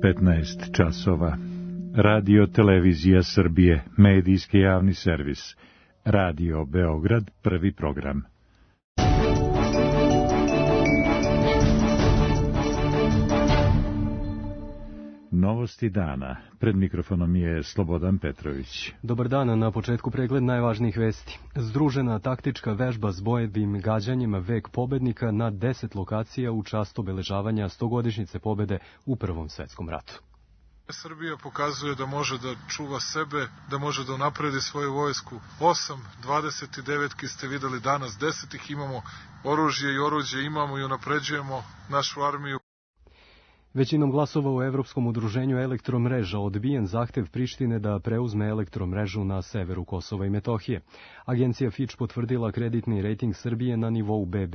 15 časova. Radio Televizija Srbije, medijski javni servis. Radio Beograd, prvi program. Novosti dana. Pred mikrofonom je Slobodan Petrović. Dobar dan, na početku pregled najvažnijih vesti. Združena taktička vežba s bojevim gađanjem Vek pobednika na 10 lokacija u čast obeležavanja 100-godišnjice pobede u Prvom svetskom ratu. Srbija pokazuje da može da čuva sebe, da može da unapredi svoju vojsku. 29 ste videli danas, 10 ih imamo, oružje i oruđe imamo i unapređujemo našu armiju. Većinom glasova u Evropskom udruženju elektromreža odbijen zahtev Prištine da preuzme elektromrežu na severu Kosova i Metohije. Agencija Fitch potvrdila kreditni rejting Srbije na nivou BB.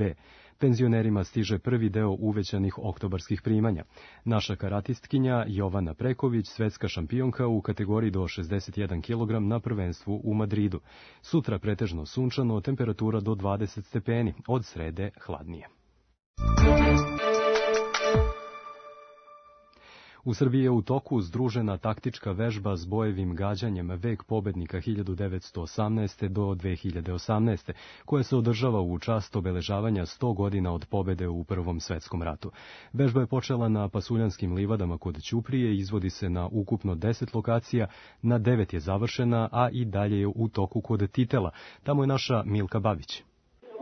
Penzionerima stiže prvi deo uvećanih oktobarskih primanja. Naša karatistkinja Jovana Preković, svetska šampionka u kategoriji do 61 kg na prvenstvu u Madridu. Sutra pretežno sunčano, temperatura do 20 stepeni, od srede hladnije. U Srbiji je u toku združena taktička vežba s bojevim gađanjem Vek pobednika 1918. do 2018. koja se održava u čast obeležavanja 100 godina od pobede u Prvom svetskom ratu. Vežba je počela na Pasuljanskim livadama kod Ćuprije i izvodi se na ukupno 10 lokacija, na 9 je završena, a i dalje je u toku kod Titela. Tamo je naša Milka Babić.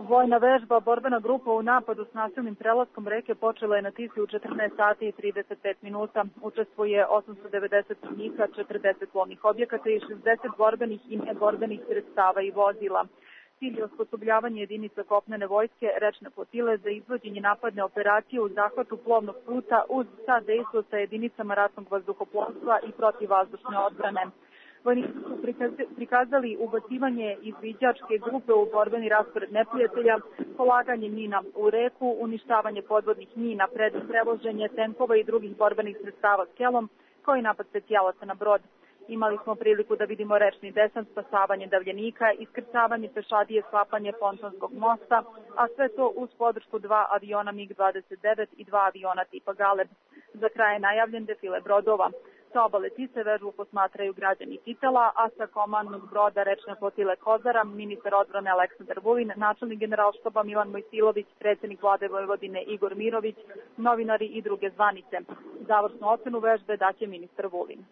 Vojna vežba, borbena grupa u napadu s nasilnim prelaskom reke počela je na Tisi u 14 sati i 35 minuta. Učestvuje 890 vojnika, 40 plovnih objekata i 60 borbenih i neborbenih sredstava i vozila. Cilj je osposobljavanje jedinica kopnene vojske, rečne flotile za izvođenje napadne operacije u zahvatu plovnog puta uz sadejstvo sa jedinicama ratnog vazduhoplovstva i protivvazdušne odbrane. Vojnici su prikazali ubacivanje izviđačke grupe u borbeni raspored neprijatelja, polaganje mina u reku, uništavanje podvodnih mina, prevoženje tenkova i drugih borbenih sredstava skelom, kao i napad specijalaca na brod. Imali smo priliku da vidimo rečni desant, spasavanje davljenika, iskrcavanje pešadije, sklapanje pontonskog mosta, a sve to uz podršku 2 aviona MiG-29 i 2 aviona tipa Galeb. Za kraj je najavljen defile brodova. Sa obale Tise vežbu posmatraju građani Titela, a sa komandnog broda rečne flotile Kozara, ministar odbrane Aleksandar Vulin, načelnik generalštaba Milan Mojsilović, predsjednik vlade Vojvodine Igor Mirović, novinari i druge zvanice. Završnu ocenu vežbe daće ministar Vulin.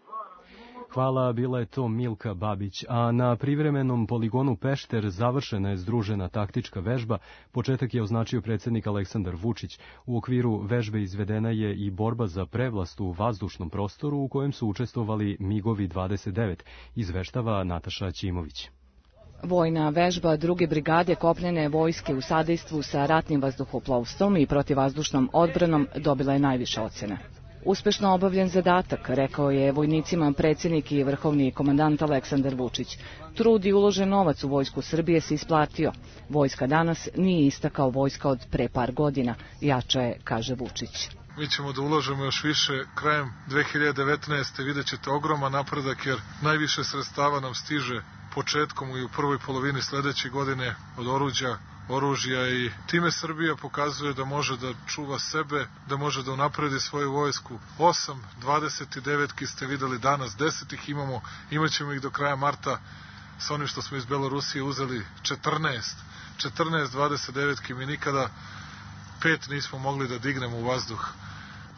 Hvala, bila je to Milka Babić. A na privremenom poligonu Pešter završena je združena taktička vežba. Početak je označio predsjednik Aleksandar Vučić. U okviru vežbe izvedena je i borba za prevlast u vazdušnom prostoru u kojem su učestvovali MiG-ovi 29, izveštava Nataša Ćimović. Vojna vežba 2. brigade kopnene vojske u sadejstvu sa ratnim vazduhoplovstvom i protivvazdušnom odbranom dobila je najviše ocjene. Uspešno obavljen zadatak, rekao je vojnicima predsjednik i vrhovni komandant Aleksandar Vučić. Trud i uložen novac u vojsku Srbije se isplatio. Vojska danas nije ista kao vojska od pre par godina, jača je, kaže Vučić. Mi ćemo da uložemo još više. Krajem 2019. vidjet ćete ogroman napredak jer najviše sredstava nam stiže početkom i u prvoj polovini sledeće godine od oružja i time Srbija pokazuje da može da čuva sebe, da može da unapredi svoju vojsku. 29 ste videli danas, 10 ih imamo, imat ćemo ih do kraja marta sa onim što smo iz Belorusije uzeli 14 29 mi nikada 5 nismo mogli da dignemo u vazduh.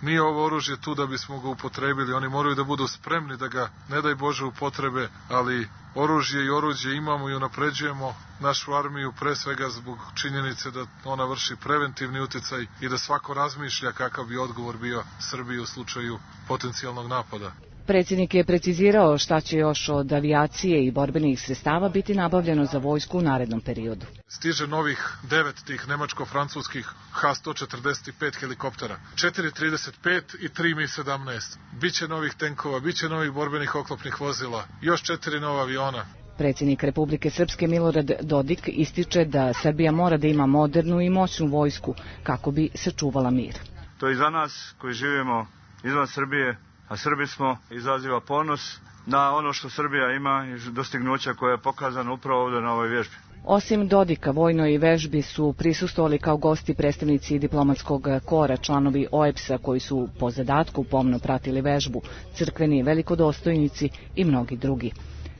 Nije ovo oružje tu da bismo ga upotrebili, oni moraju da budu spremni da ga, ne daj Bože, upotrebe, ali oružje i oruđe imamo i unapređujemo našu armiju pre svega zbog činjenice da ona vrši preventivni uticaj i da svako razmišlja kakav bi odgovor bio Srbiji u slučaju potencijalnog napada. Predsjednik je precizirao šta će još od avijacije i borbenih sredstava biti nabavljeno za vojsku u narednom periodu. Stiže novih 9 tih nemačko-francuskih H-145 helikoptera, 4-35 i 3 Mi-17. Biće novih tenkova, biće novih borbenih oklopnih vozila, još 4 nova aviona. Predsjednik Republike Srpske Milorad Dodik ističe da Srbija mora da ima modernu i moćnu vojsku kako bi sačuvala mir. To i za nas koji živimo izvan Srbije, a Srbi smo, izaziva ponos na ono što Srbija ima i dostignuća koje je pokazano upravo ovdje na ovoj vježbi. Osim Dodika, vojnoj vežbi su prisustvovali kao gosti predstavnici diplomatskog kora, članovi OEBS-a koji su po zadatku pomno pratili vežbu, crkveni velikodostojnici i mnogi drugi.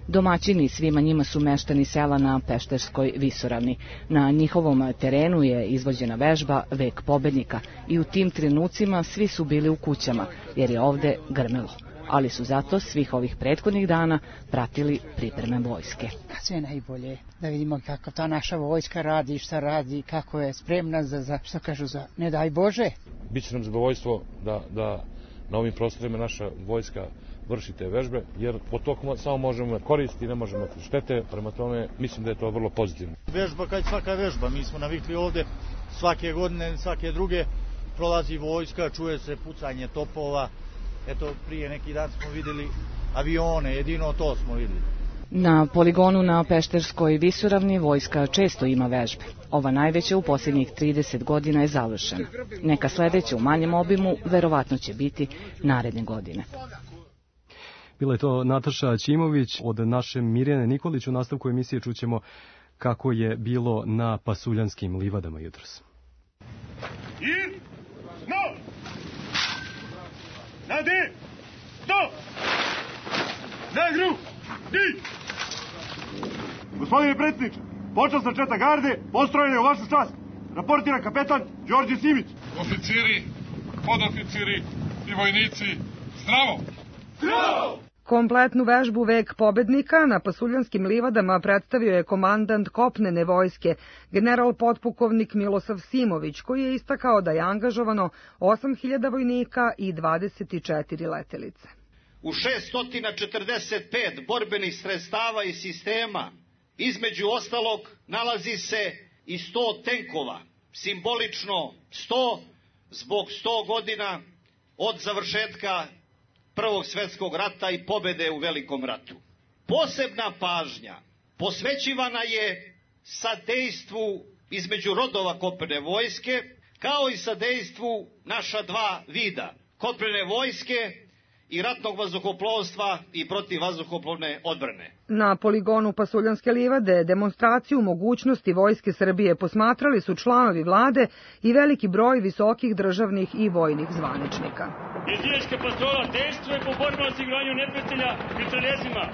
Domaćini svima njima su meštani sela na Pešterskoj visoravni. Na njihovom terenu je izvođena vežba Vek pobednika i u tim trenucima svi su bili u kućama jer je ovde grmelo. Ali su zato svih ovih prethodnih dana pratili pripreme vojske. Sve najbolje, da vidimo kako ta naša vojska radi, šta radi, kako je spremna za što kažu, za ne daj Bože. Biće nam zadovoljstvo da na ovim prostorima naša vojska vrši te vežbe, jer po toku samo možemo imati koristi, ne možemo imati štete, prema tome mislim da je to vrlo pozitivno. Vežba kao i svaka vežba, mi smo navikli ovde svake godine, svake druge, prolazi vojska, čuje se pucanje topova. Eto, prije neki dan smo videli avione, jedino to smo videli. Na poligonu na Pešterskoj visoravni vojska često ima vežbe. Ova najveća u posljednjih 30 godina je završena. Neka sledeća u manjem obimu verovatno će biti naredne godine. Bila je to Nataša Ćimović. Od naše Mirjane Nikolić u nastavku emisije čućemo kako je bilo na Pasuljanskim livadama jutros. I no! Nade! Stop! Nagru! Di! Gospodine predsjedniče, počasna četa garde, postrojene u vašu čast. Raportira kapetan Đorđe Simić. Oficiri, podoficiri i vojnici, zdravo! Zdravo! Kompletnu vežbu Vek pobednika na Pasuljanskim livadama predstavio je komandant kopnene vojske, general potpukovnik Milosav Simović, koji je istakao da je angažovano 8.000 vojnika i 24 letelice. U 645 borbenih sredstava i sistema, između ostalog, nalazi se i 100 tenkova, simbolično 100 zbog 100 godina od završetka Prvog svjetskog rata i pobede u Velikom ratu. Posebna pažnja posvećivana je sadejstvu između rodova kopnene vojske, kao i sadejstvu naša dva vida, kopnene vojske i ratnog vazduhoplovstva i protivvazduhoplovne odbrane. Na poligonu Pasuljanske livade demonstraciju mogućnosti Vojske Srbije posmatrali su članovi vlade i veliki broj visokih državnih i vojnih zvaničnika. Jezička patrola dejstvuje po borbama osiguranju neprijatelja mitraljezima.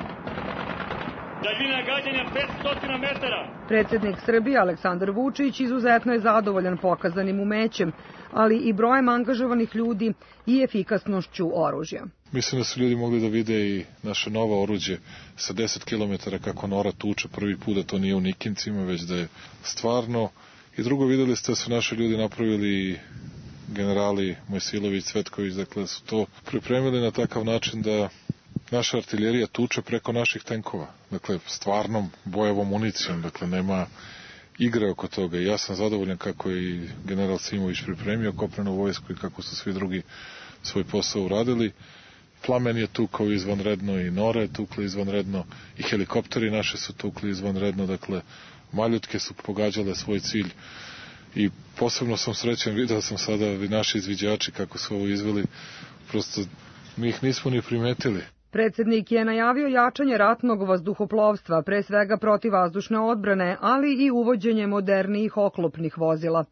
Daljina gađanja 500 metara. Predsjednik Srbije Aleksandar Vučić izuzetno je zadovoljan pokazanim umećem, ali i brojem angažovanih ljudi i efikasnošću oružja. Mislim da su ljudi mogli da vide i naše novo oruđe sa 10 km kako Nora tuče prvi put, da to nije u Nikincima, već da je stvarno. I drugo, videli ste da su naši ljudi napravili generali Mojsilović, Cvetković, dakle su to pripremili na takav način da naša artiljerija tuče preko naših tenkova. Dakle, stvarnom bojevom municijom, dakle nema igre oko toga. I ja sam zadovoljan kako je i general Simović pripremio kopnenu vojsku i kako su svi drugi svoj posao uradili. Plamen je tukao izvanredno i Nora je tukla izvanredno i helikopteri naše su tukli izvanredno, dakle maljutke su pogađale svoj cilj i posebno sam srećan, vidio sam sada i naši izviđači kako su ovo izveli, prosto mi ih nismo ni primetili. Predsjednik je najavio jačanje ratnog vazduhoplovstva, pre svega protivvazdušne odbrane, ali i uvođenje modernijih oklopnih vozila.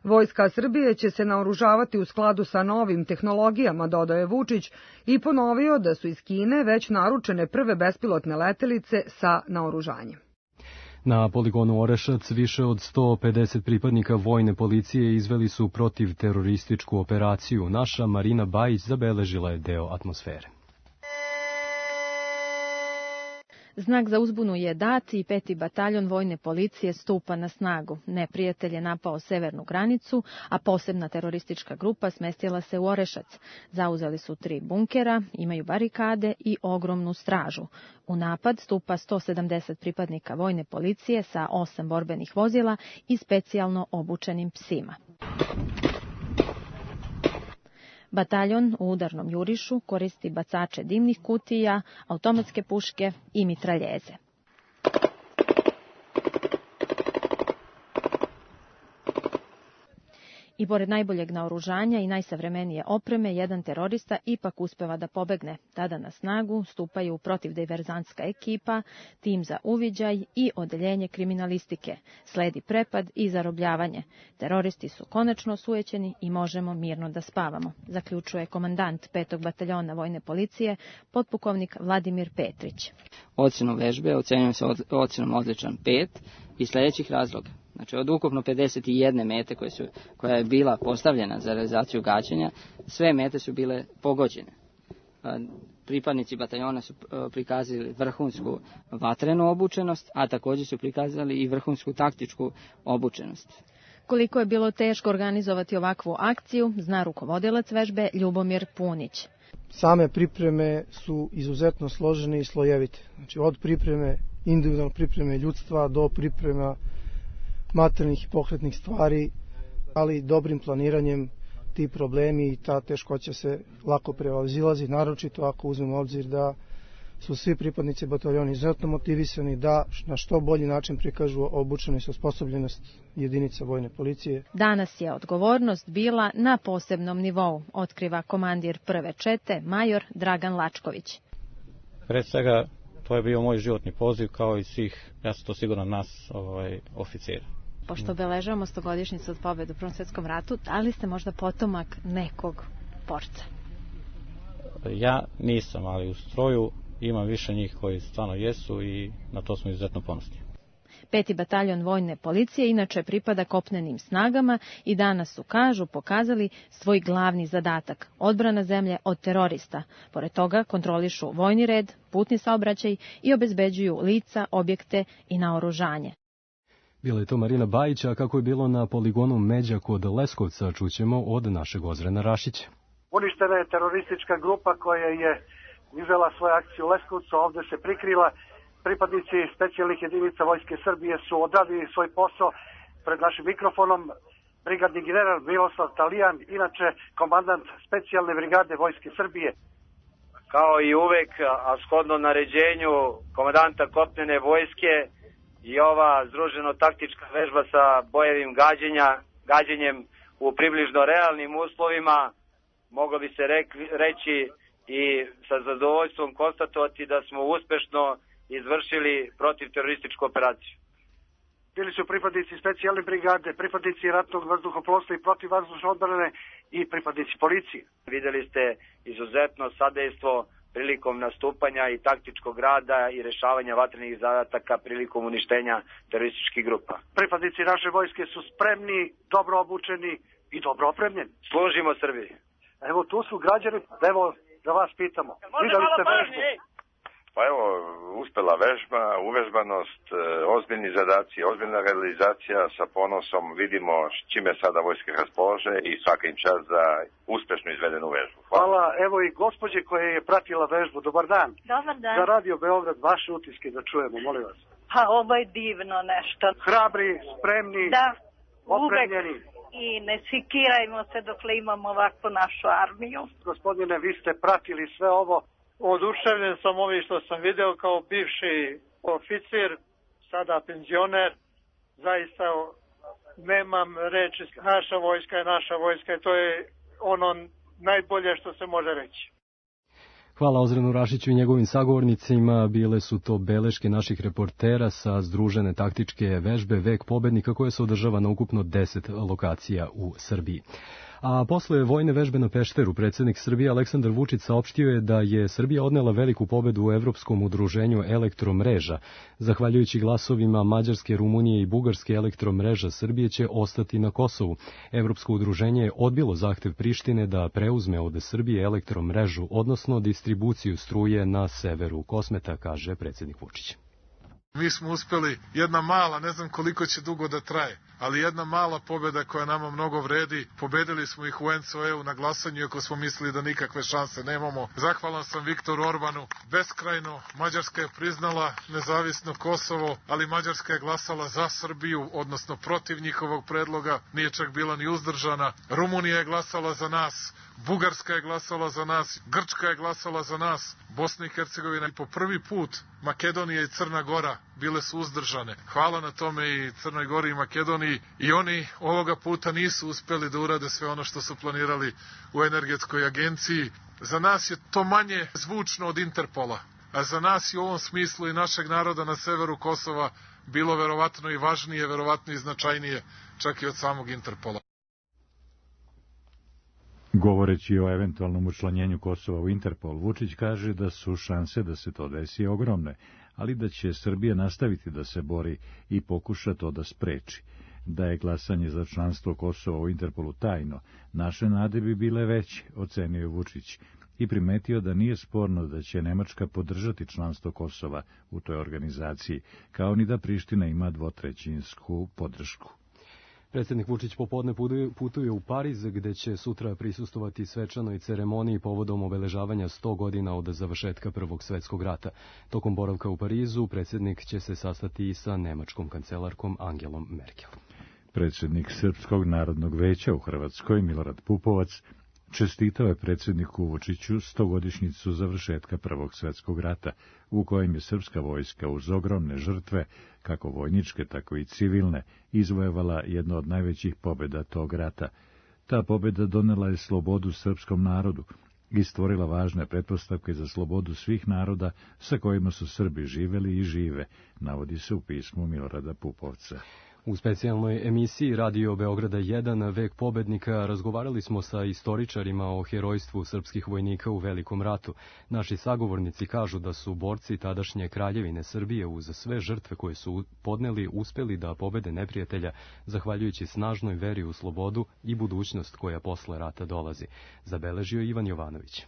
Vojska Srbije će se naoružavati u skladu sa novim tehnologijama, dodao je Vučić i ponovio da su iz Kine već naručene prve bespilotne letelice sa naoružanjem. Na poligonu Orešac više od 150 pripadnika vojne policije izveli su protivterorističku operaciju. Naša Marina Bajić zabeležila je deo atmosfere. Znak za uzbunu je dat i 5. bataljon vojne policije stupa na snagu. Neprijatelj je napao severnu granicu, a posebna teroristička grupa smestila se u Orešac. Zauzeli su 3 bunkera, imaju barikade i ogromnu stražu. U napad stupa 170 pripadnika vojne policije sa 8 borbenih vozila i specijalno obučenim psima. Bataljon u udarnom jurišu koristi bacače dimnih kutija, automatske puške i mitraljeze. I pored najboljeg naoružanja i najsavremenije opreme, jedan terorista ipak uspeva da pobegne. Tada na snagu stupaju protivdiverzantska ekipa, tim za uviđaj i odeljenje kriminalistike. Sledi prepad i zarobljavanje. Teroristi su konačno osujećeni i možemo mirno da spavamo, zaključuje komandant 5. bataljona vojne policije, potpukovnik Vladimir Petrić. Ocenu vežbe ocenjujem se ocenom odličan 5 iz sljedećih razloga. Znači, od ukupno 51 mete koja je bila postavljena za realizaciju gađanja, sve mete su bile pogođene. Pripadnici bataljona su prikazali vrhunsku vatrenu obučenost, a također su prikazali i vrhunsku taktičku obučenost. Koliko je bilo teško organizovati ovakvu akciju, zna rukovodilac vežbe Ljubomir Punić. Same pripreme su izuzetno složene i slojevite. Znači, od pripreme, individualne pripreme ljudstva do priprema materijalnih i pokretnih stvari, ali dobrim planiranjem ti problemi i ta teškoća se lako prevazilazi, naročito ako uzmemo obzir da su svi pripadnici bataljona izuzetno motivisani da na što bolji način prikažu obučenost i osposobljenost jedinica vojne policije. Danas je odgovornost bila na posebnom nivou, otkriva komandir prve čete, major Dragan Lačković. Pred svega, to je bio moj životni poziv kao i svih, ja sam to siguran, nas oficira. Pošto obeležavamo 100-godišnjicu od pobjede u Prvom svjetskom ratu, da li ste možda potomak nekog borca? Ja nisam, ali u stroju imam više njih koji stvarno jesu i na to smo izuzetno ponosni. 5. bataljon vojne policije inače pripada kopnenim snagama i danas su, kažu, pokazali svoj glavni zadatak, odbrana zemlje od terorista. Pored toga kontrolišu vojni red, putni saobraćaj i obezbeđuju lica, objekte i naoružanje. Bila je to Marina Bajić, a kako je bilo na poligonu Međa kod Leskovca, čućemo od našeg Ozrena Rašića. Uništena je teroristička grupa koja je izvela svoju akciju u Leskovcu, ovdje se prikrila. Pripadnici specijalnih jedinica Vojske Srbije su odradili svoj posao pred našim mikrofonom. Brigadni general Miloslav Talijan, inače komandant specijalne brigade Vojske Srbije. Kao i uvek, a shodno naređenju komandanta kopnene vojske, i ova združeno-taktička vežba sa bojevim gađenjem u približno realnim uslovima, moglo bi se reći i sa zadovoljstvom konstatovati da smo uspešno izvršili protivterorističku operaciju. Bili su pripadnici specijalne brigade, pripadnici ratnog vazduhoplovstva i protivvazdušne odbrane i pripadnici policije. Videli ste izuzetno sadejstvo prilikom nastupanja i taktičkog rada i rešavanja vatrenih zadataka prilikom uništenja terorističkih grupa. Pripadnici naše vojske su spremni, dobro obučeni i dobro opremljeni. Služimo Srbiji. Evo, tu su građani, evo da vas pitamo. Videli ste vežbu? Pa evo, uspela vežba, uvežbanost, ozbiljni zadaci, ozbiljna realizacija, sa ponosom vidimo čime sada vojske raspolože i svaka im čast za uspešno izvedenu vežbu. Hvala. Evo i gospođe koja je pratila vežbu. Dobar dan. Dobar dan. Za Radio Beograd, vaše utiske da čujemo, molim vas. Pa ovo je divno nešto. Hrabri, spremni, da, opremljeni. I ne sikirajmo se dokle imamo ovakvu našu armiju. Gospodine, vi ste pratili sve ovo. Oduševljen sam ovim što sam video kao bivši oficir, sada penzioner. Zaista nemam reči, naša vojska i to je ono najbolje što se može reći. Hvala Ozrenu Rašiću i njegovim sagovornicima. Bile su to beleške naših reportera sa združene taktičke vežbe Vek pobednika koja se održava na ukupno 10 lokacija u Srbiji. A posle vojne vežbe na Pešteru, predsjednik Srbije Aleksandar Vučić saopštio je da je Srbija odnela veliku pobedu u Evropskom udruženju elektromreža. Zahvaljujući glasovima Mađarske, Rumunije i Bugarske, elektromreža Srbije će ostati na Kosovu. Evropsko udruženje je odbilo zahtev Prištine da preuzme od Srbije elektromrežu, odnosno distribuciju struje na severu Kosmeta, kaže predsjednik Vučić. Mi smo uspeli, jedna mala, ne znam koliko će dugo da traje, ali jedna mala pobjeda koja nama mnogo vredi. Pobedili smo ih u NCOE-u na glasanju, iako smo mislili da nikakve šanse nemamo. Zahvalan sam Viktoru Orbanu beskrajno. Mađarska je priznala nezavisno Kosovo, ali Mađarska je glasala za Srbiju, odnosno protiv njihovog predloga, nije čak bila ni uzdržana. Rumunija je glasala za nas, Bugarska je glasala za nas, Grčka je glasala za nas, Bosna i Hercegovina i po prvi put Makedonija i Crna Gora bile su uzdržane. Hvala na tome i Crnoj Gori i Makedoniji i oni ovoga puta nisu uspeli da urade sve ono što su planirali u energetskoj agenciji. Za nas je to manje zvučno od Interpola, a za nas je u ovom smislu i našeg naroda na severu Kosova bilo verovatno i važnije, verovatno i značajnije, čak i od samog Interpola. Govoreći o eventualnom učlanjenju Kosova u Interpol, Vučić kaže da su šanse da se to desi ogromne, ali da će Srbija nastaviti da se bori i pokuša to da spreči. Da je glasanje za članstvo Kosova u Interpolu tajno, naše nade bi bile veće, ocenio je Vučić, i primetio da nije sporno da će Nemačka podržati članstvo Kosova u toj organizaciji, kao ni da Priština ima 2/3 podršku. Predsjednik Vučić popodne putuje u Pariz, gde će sutra prisustovati svečanoj ceremoniji povodom obeležavanja 100 godina od završetka Prvog svjetskog rata. Tokom boravka u Parizu, predsjednik će se sastati i sa nemačkom kancelarkom Angelom Merkel. Predsjednik Srpskog narodnog veća u Hrvatskoj, Milorad Pupovac, čestitao je predsjedniku Vučiću 100-godišnjicu završetka Prvog svjetskog rata, u kojem je srpska vojska uz ogromne žrtve, kako vojničke, tako i civilne, izvojevala jedno od najvećih pobjeda tog rata. Ta pobjeda donela je slobodu srpskom narodu i stvorila važne pretpostavke za slobodu svih naroda sa kojima su Srbi živeli i žive, navodi se u pismu Milorada Pupovca. U specijalnoj emisiji Radio Beograda 1 Vek pobednika razgovarali smo sa istoričarima o herojstvu srpskih vojnika u Velikom ratu. Naši sagovornici kažu da su borci tadašnje Kraljevine Srbije uz sve žrtve koje su podneli uspeli da pobede neprijatelja zahvaljujući snažnoj veri u slobodu i budućnost koja posle rata dolazi, zabeležio Ivan Jovanović.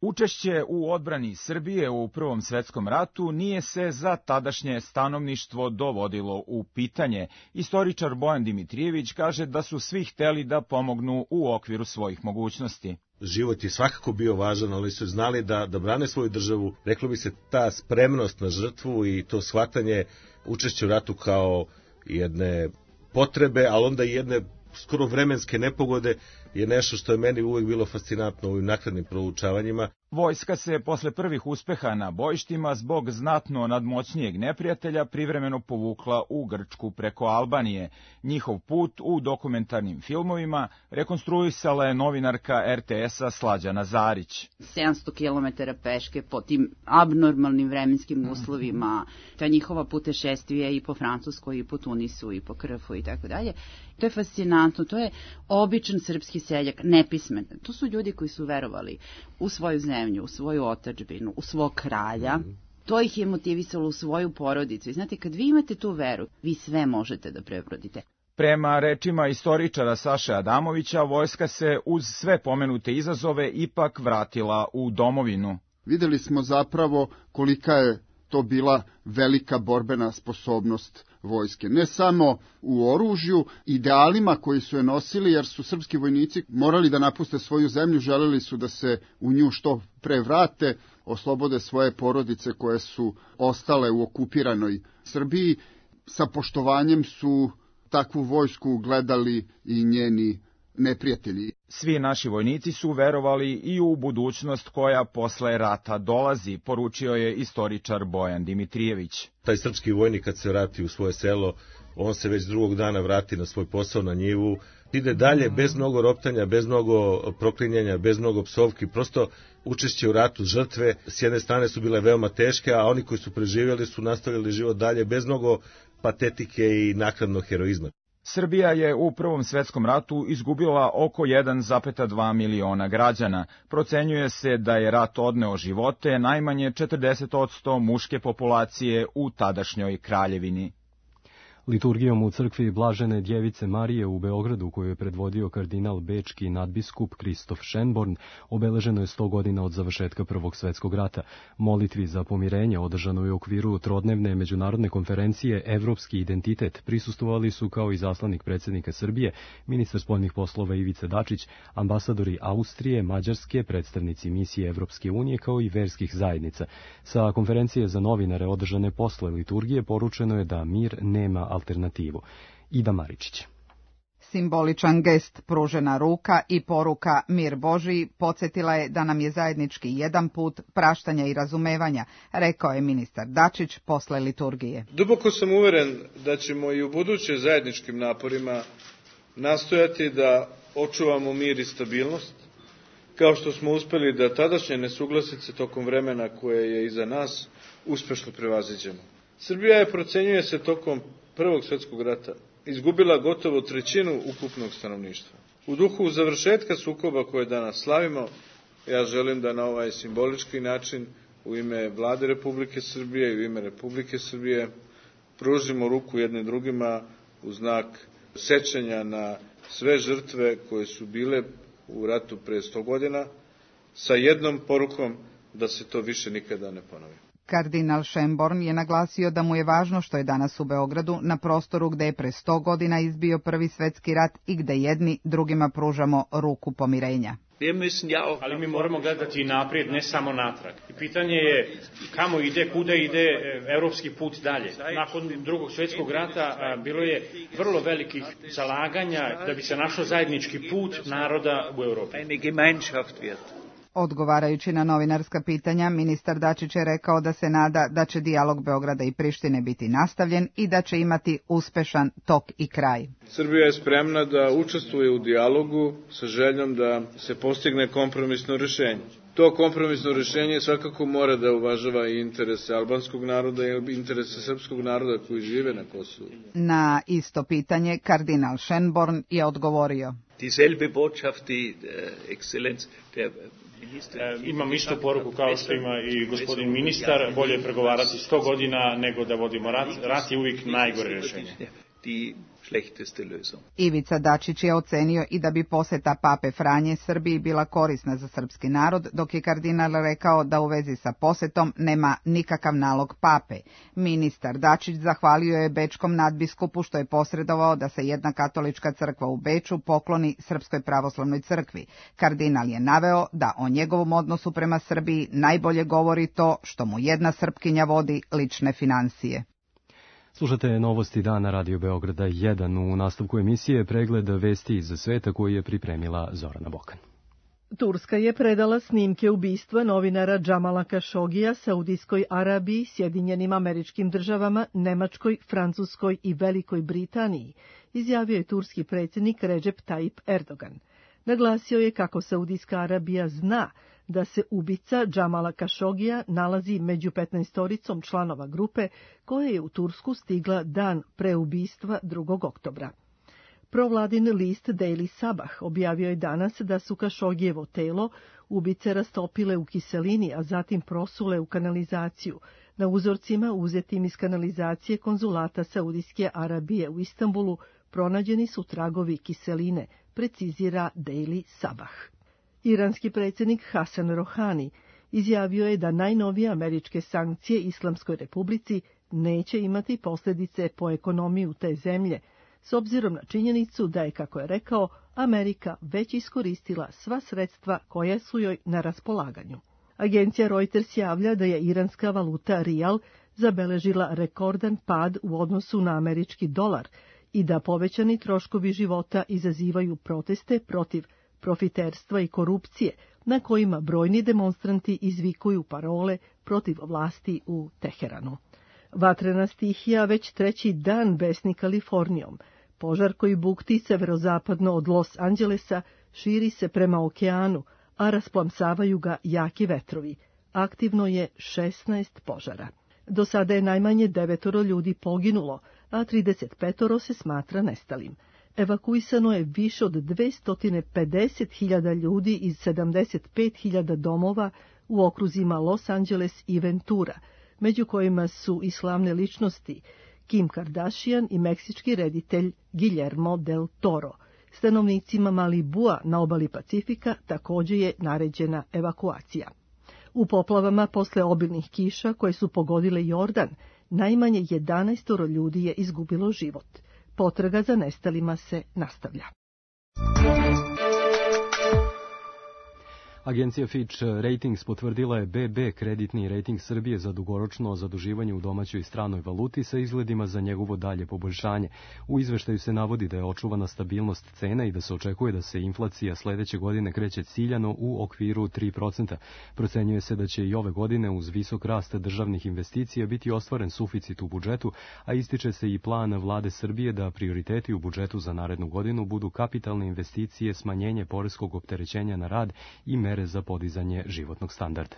Učešće u odbrani Srbije u Prvom svetskom ratu nije se za tadašnje stanovništvo dovodilo u pitanje. Istoričar Bojan Dimitrijević kaže da su svi hteli da pomognu u okviru svojih mogućnosti. Život je svakako bio važan, ali su znali da brane svoju državu. Reklo bi se ta spremnost na žrtvu i to shvatanje učešća u ratu kao jedne potrebe, ali onda i jedne skoro vremenske nepogode je nešto što je meni uvijek bilo fascinantno u ovim naknadnim proučavanjima. Vojska se posle prvih uspeha na bojištima zbog znatno nadmoćnijeg neprijatelja privremeno povukla u Grčku preko Albanije. Njihov put u dokumentarnim filmovima rekonstruisala je novinarka RTS-a Slađana Zarić. 700 km peške po tim abnormalnim vremenskim uslovima, ta njihova putešestvija i po Francuskoj, i po Tunisu, i po Krfu i tako dalje. To je fascinantno, to je običan srpski seljak, nepismen. To su ljudi koji su verovali u svoju zemlju, u svoju otadžbinu, u svog kralja. To ih je motivisalo u svoju porodicu. I znate, kad vi imate tu veru, vi sve možete da prebrodite. Prema rečima istoričara Saše Adamovića, vojska se uz sve pomenute izazove ipak vratila u domovinu. Videli smo zapravo kolika je to bila velika borbena sposobnost vojske. Ne samo u oružju, idealima koji su je nosili, jer su srpski vojnici morali da napuste svoju zemlju, želeli su da se u nju što pre vrate, oslobode svoje porodice koje su ostale u okupiranoj Srbiji. Sa poštovanjem su takvu vojsku gledali i njeni neprijatelji. Svi naši vojnici su verovali i u budućnost koja posle rata dolazi, poručio je istoričar Bojan Dimitrijević. Taj srpski vojnik kad se vrati u svoje selo, on se već drugog dana vrati na svoj posao, na njivu, ide dalje bez mnogo roptanja, bez mnogo proklinjanja, bez mnogo psovki, prosto učešće u ratu, žrtve s jedne strane su bile veoma teške, a oni koji su preživjeli su nastavili život dalje bez mnogo patetike i naknadnog heroizma. Srbija je u Prvom svetskom ratu izgubila oko 1,2 miliona građana. Procenjuje se da je rat odneo živote najmanje 40% muške populacije u tadašnjoj kraljevini. Liturgijom u crkvi Blažene Djevice Marije u Beogradu, koju je predvodio kardinal bečki nadbiskup Kristof Šenborn, obeleženo je 100 godina od završetka Prvog svjetskog rata. Molitvi za pomirenje održanoj u okviru trodnevne međunarodne konferencije Evropski identitet prisustvovali su kao i zaslanik predsjednika Srbije, ministar spoljnih poslova Ivica Dačić, ambasadori Austrije, Mađarske, predstavnici misije Evropske unije kao i verskih zajednica. Sa konferencije za novinare održane posle liturgije poručeno je da mir nema alternativu. Ida Maričić. Simboličan gest, pružena ruka i poruka mir Božiji podsjetila je da nam je zajednički jedan put praštanja i razumevanja, rekao je ministar Dačić posle liturgije. Duboko sam uveren da ćemo i u buduće zajedničkim naporima nastojati da očuvamo mir i stabilnost, kao što smo uspeli da tadašnje nesuglasice tokom vremena koje je iza nas uspešno prevaziđemo. Srbija je, procenjuje se, tokom Prvog svjetskog rata izgubila gotovo trećinu ukupnog stanovništva. U duhu završetka sukoba koje danas slavimo, ja želim da na ovaj simbolički način u ime Vlade Republike Srbije i u ime Republike Srbije pružimo ruku jednim drugima u znak sećanja na sve žrtve koje su bile u ratu pre 100 godina, sa jednom porukom da se to više nikada ne ponovi. Kardinal Schönborn je naglasio da mu je važno što je danas u Beogradu, na prostoru gde je pre 100 godina izbio Prvi svetski rat i gde jedni drugima pružamo ruku pomirenja. Ali mi moramo gledati naprijed, ne samo natrag. I pitanje je kamo ide, kuda ide evropski put dalje. Nakon Drugog svjetskog rata bilo je vrlo velikih zalaganja da bi se našao zajednički put naroda u Evropi. Odgovarajući na novinarska pitanja, ministar Dačić je rekao da se nada da će dijalog Beograda i Prištine biti nastavljen i da će imati uspešan tok i kraj. Srbija je spremna da učestvuje u dijalogu sa željom da se postigne kompromisno rešenje. To kompromisno rešenje svakako mora da uvažava i interese albanskog naroda i interese srpskog naroda koji žive na Kosovu. Na isto pitanje kardinal Schönborn je odgovorio. Dieselbe Botschaft, die Exzellenz der Imam istu poruku kao što ima i gospodin ministar, bolje je pregovarati 100 godina nego da vodimo rat. Rat je uvijek najgore rješenje. Ivica Dačić je ocenio i da bi poseta pape Franje Srbiji bila korisna za srpski narod, dok je kardinal rekao da u vezi sa posetom nema nikakav nalog pape. Ministar Dačić zahvalio je bečkom nadbiskupu što je posredovao da se jedna katolička crkva u Beču pokloni Srpskoj pravoslavnoj crkvi. Kardinal je naveo da o njegovom odnosu prema Srbiji najbolje govori to što mu jedna Srpkinja vodi lične financije. Slušate novosti dana Radio Beograda 1. U nastavku emisije pregled vesti iz sveta koju je pripremila Zorana Bokan. Turska je predala snimke ubistva novinara Džamala Kašogija Saudijskoj Arabiji, Sjedinjenim Američkim Državama, Nemačkoj, Francuskoj i Velikoj Britaniji, izjavio je turski predsjednik Recep Tayyip Erdogan. Naglasio je kako Saudijska Arabija zna da se ubica Džamala Kašogija nalazi među 15-oricom članova grupe koja je u Tursku stigla dan pre ubistva 2. oktobra. Provladin list Daily Sabah objavio je danas da su Kašogijevo telo ubice rastopile u kiselini, a zatim prosule u kanalizaciju. Na uzorcima uzetim iz kanalizacije konzulata Saudijske Arabije u Istanbulu pronađeni su tragovi kiseline, precizira Daily Sabah. Iranski predsjednik Hasan Rohani izjavio je da najnovije američke sankcije Islamskoj republici neće imati posljedice po ekonomiju te zemlje, s obzirom na činjenicu da je, kako je rekao, Amerika već iskoristila sva sredstva koja su joj na raspolaganju. Agencija Reuters javlja da je iranska valuta rijal zabeležila rekordan pad u odnosu na američki dolar i da povećani troškovi života izazivaju proteste protiv profiterstva i korupcije, na kojima brojni demonstranti izvikuju parole protiv vlasti u Teheranu. Vatrena stihija već 3. dan besni Kalifornijom. Požar koji bukti severozapadno od Los Angelesa širi se prema okeanu, a rasplamsavaju ga jaki vetrovi. Aktivno je 16 požara. Do sada je najmanje 9 ljudi poginulo, a 35 se smatra nestalim. Evakuisano je više od 250.000 ljudi iz 75.000 domova u okruzima Los Angeles i Ventura, među kojima su i slavne ličnosti Kim Kardashian i meksički reditelj Guillermo del Toro. Stanovnicima Malibua na obali Pacifika također je naređena evakuacija. U poplavama posle obilnih kiša koje su pogodile Jordan, najmanje 11 ljudi je izgubilo život. Potraga za nestalima se nastavlja. Agencija Fitch Ratings potvrdila je BB kreditni rating Srbije za dugoročno zaduživanje u domaćoj i stranoj valuti sa izgledima za njegovo dalje poboljšanje. U izveštaju se navodi da je očuvana stabilnost cena i da se očekuje da se inflacija sledeće godine kreće ciljano u okviru 3%. Procenjuje se da će i ove godine uz visok rast državnih investicija biti ostvaren suficit u budžetu, a ističe se i plan vlade Srbije da prioriteti u budžetu za narednu godinu budu kapitalne investicije, smanjenje poreskog opterećenja na rad i mere za podizanje životnog standarda.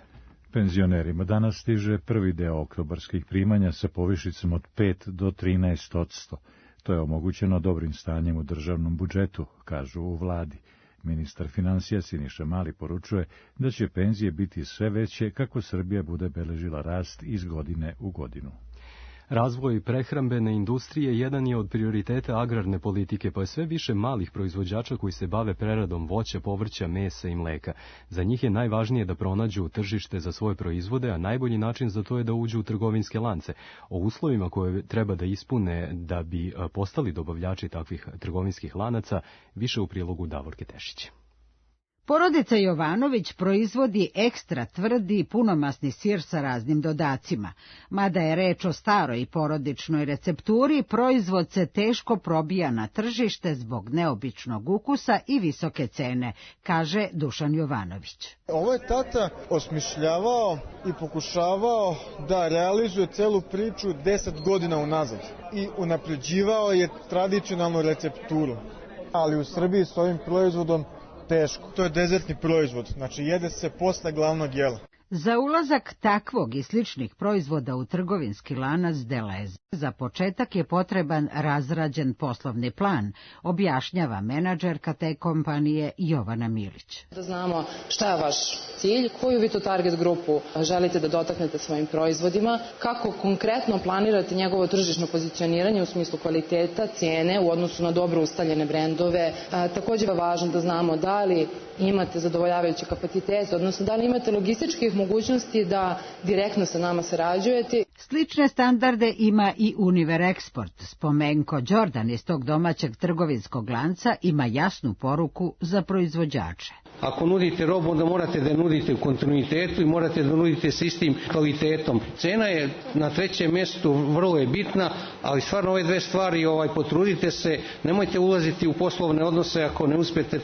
Penzionerima danas stiže prvi deo oktobarskih primanja sa povišicom od 5 do 13%. To je omogućeno dobrim stanjem u državnom budžetu, kažu u vladi. Ministar finansija Siniša Mali poručuje da će penzije biti sve veće kako Srbija bude beležila rast iz godine u godinu. Razvoj prehrambene industrije jedan je od prioriteta agrarne politike, pa je sve više malih proizvođača koji se bave preradom voća, povrća, mesa i mleka. Za njih je najvažnije da pronađu tržište za svoje proizvode, a najbolji način za to je da uđu u trgovinske lance. O uslovima koje treba da ispune da bi postali dobavljači takvih trgovinskih lanaca, više u prilogu Davorke Tešića. Porodica Jovanović proizvodi ekstra tvrdi punomasni sir sa raznim dodacima. Mada je reč o staroj porodičnoj recepturi, proizvod se teško probija na tržište zbog neobičnog ukusa i visoke cene, kaže Dušan Jovanović. Ovo je tata osmišljavao i pokušavao da realizuje celu priču 10 godina unazad i unapređivao je tradicionalnu recepturu. Ali u Srbiji s ovim proizvodom teško. To je dezertni proizvod, znači jede se posle glavnog jela. Za ulazak takvog i sličnih proizvoda u trgovinski lanac Deleze za početak je potreban razrađen poslovni plan, objašnjava menadžerka te kompanije Jovana Milić. Da znamo šta je vaš cilj, koju vi to target grupu želite da dotaknete svojim proizvodima, kako konkretno planirate njegovo tržišno pozicioniranje u smislu kvaliteta, cijene u odnosu na dobro ustaljene brendove. Također je važno da znamo da li imate zadovoljavajuće kapacitete, odnosno da li imate logističkih mogućnosti da direktno sa nama sarađujete. Slične standarde ima i Univer Export. Spomenko Đordan iz tog domaćeg trgovinskog lanca ima jasnu poruku za proizvođače. Ako nudite robu, onda morate da nudite u kontinuitetu i morate da nudite s istim kvalitetom. Cena je na trećem mjestu, vrlo je bitna, ali stvarno ove dve stvari potrudite se, nemojte ulaziti u poslovne odnose ako ne uspete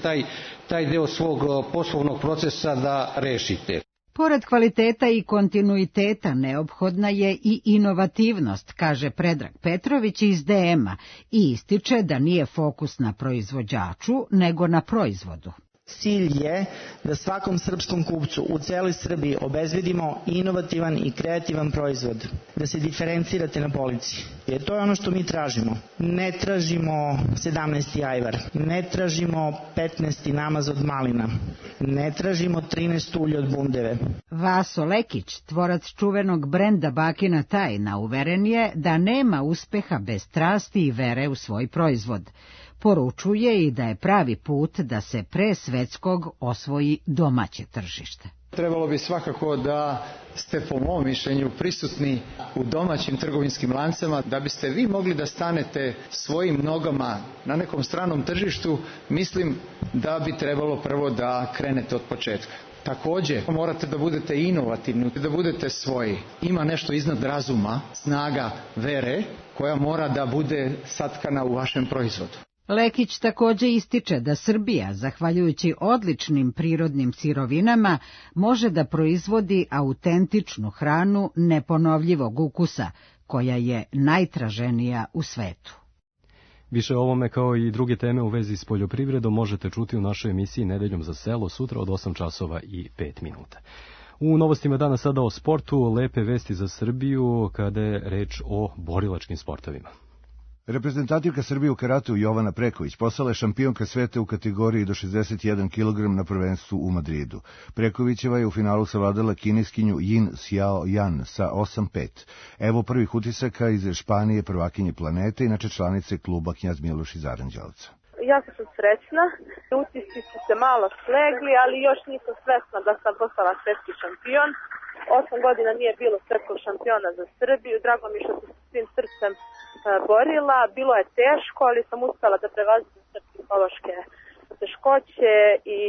taj deo svog poslovnog procesa da rešite. Pored kvaliteta i kontinuiteta neophodna je i inovativnost, kaže Predrag Petrović iz DM-a i ističe da nije fokus na proizvođaču, nego na proizvodu. Cilj je da svakom srpskom kupcu u celoj Srbiji obezbedimo inovativan i kreativan proizvod, da se diferencirate na polici. Jer to je ono što mi tražimo. Ne tražimo 17. ajvar, ne tražimo 15. namaz od malina, ne tražimo 13 ulje od bundeve. Vaso Lekić, tvorac čuvenog brenda Bakina tajna, uveren je da nema uspeha bez strasti i vere u svoj proizvod. Poručuje i da je pravi put da se pre svetskog osvoji domaće tržište. Trebalo bi svakako da ste po mom mišljenju prisutni u domaćim trgovinskim lancima, da biste vi mogli da stanete svojim nogama na nekom stranom tržištu. Mislim da bi trebalo prvo da krenete od početka. Također morate da budete inovativni, da budete svoji. Ima nešto iznad razuma, snaga vere koja mora da bude satkana u vašem proizvodu. Lekić također ističe da Srbija, zahvaljujući odličnim prirodnim sirovinama, može da proizvodi autentičnu hranu neponovljivog ukusa, koja je najtraženija u svetu. Više o ovome kao i druge teme u vezi s poljoprivredom možete čuti u našoj emisiji Nedeljom za selo sutra od 8 časova i 5 minuta. U novostima danas sada o sportu, lepe vesti za Srbiju kada je reč o borilačkim sportovima. Reprezentativka Srbije u karatu Jovana Preković postala je šampionka sveta u kategoriji do 61 kg na prvenstvu u Madridu. Prekovićeva je u finalu savladala kineskinju Yin Xiao Yan sa 8-5. Evo prvih utisaka iz Španije, prvakinje planete, inače članice kluba Knjaz Miloš iz Aranđelovca. Jako sam srećna, utisci su se malo slegli, ali još nisam svesna da sam postala svetski šampion. 8 godina nije bilo svetskog šampiona za Srbiju, drago mi što sam svim srcem borila, bilo je teško, ali sam uspela da prevaziđem sve psihološke teškoće i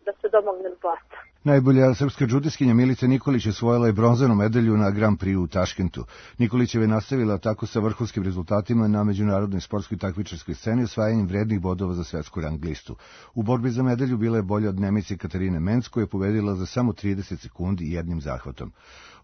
da se domognem zlata. Najbolja srpska džudiskinja Milica Nikolić osvojila je bronzanu medalju na Grand Prix u Taškentu. Nikolićeva je nastavila tako sa vrhunskim rezultatima na međunarodnoj sportskoj takmičarskoj sceni osvajanjem vrednih bodova za svetsku rang listu. U borbi za medalju bila je bolja od Nemice Katarine Menc, koja je pobedila za samo 30 sekundi jednim zahvatom.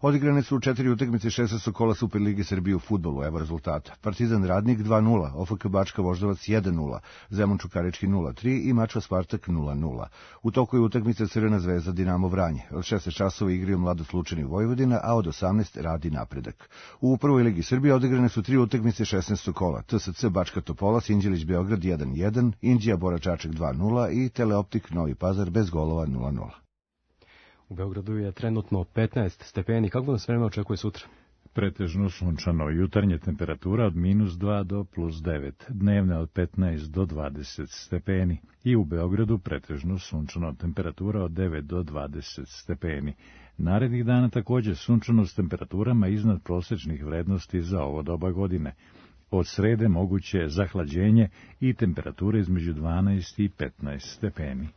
Odigrane su 4 utakmice 16. kola Superlige Srbije u fudbalu, evo rezultata. Partizan Radnik 2:0, OFK Bačka Voždovac 1:0, Zemun Čukarički 0:3 i Mačva Spartak 0:0. U toku je utakmica Crvena zvezda Dinamo Vranje. Od 16 časova igraju Mladost Lučani Vojvodina, a od 18 Radi Napredak. U prvoj ligi Srbije odigrane su 3 utakmice 16. kola. TSC Bačka Topola, Sinđelić Beograd 1:1, Inđija Bora Čačak 2:0 i Teleoptik Novi Pazar bez golova 0:0. U Beogradu je trenutno 15 stepeni. Kako nas vreme očekuje sutra? Pretežno sunčano, jutarnje temperatura od -2 do +9, dnevne od 15 do 20 stepeni i u Beogradu pretežno sunčano, temperatura od 9 do 20 stepeni. Narednih dana također sunčano s temperaturama iznad prosječnih vrednosti za ovo doba godine. Od srede moguće zahlađenje i temperature između 12 i 15 stepeni.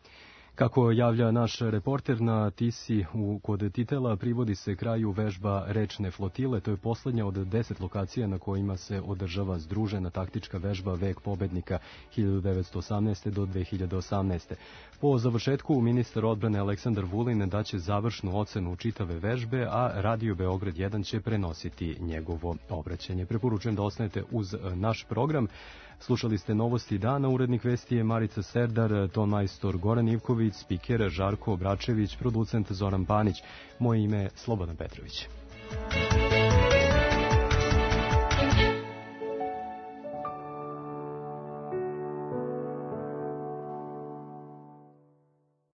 Kako javlja naš reporter, na Tisi kod Titela privodi se kraju vežba rečne flotile. To je posljednja od 10 lokacija na kojima se održava združena taktička vežba Vek pobednika 1918. do 2018. Po završetku ministar odbrane Aleksandar Vulin daće završnu ocenu čitave vežbe, a Radio Beograd 1 će prenositi njegovo obraćanje. Preporučujem da ostanete uz naš program. Slušali ste novosti dana, urednik vesti je Marica Serdar, tonmajstor Goran Ivković, spiker Žarko Obračević, producent Zoran Panić. Moje ime je Slobodan Petrović.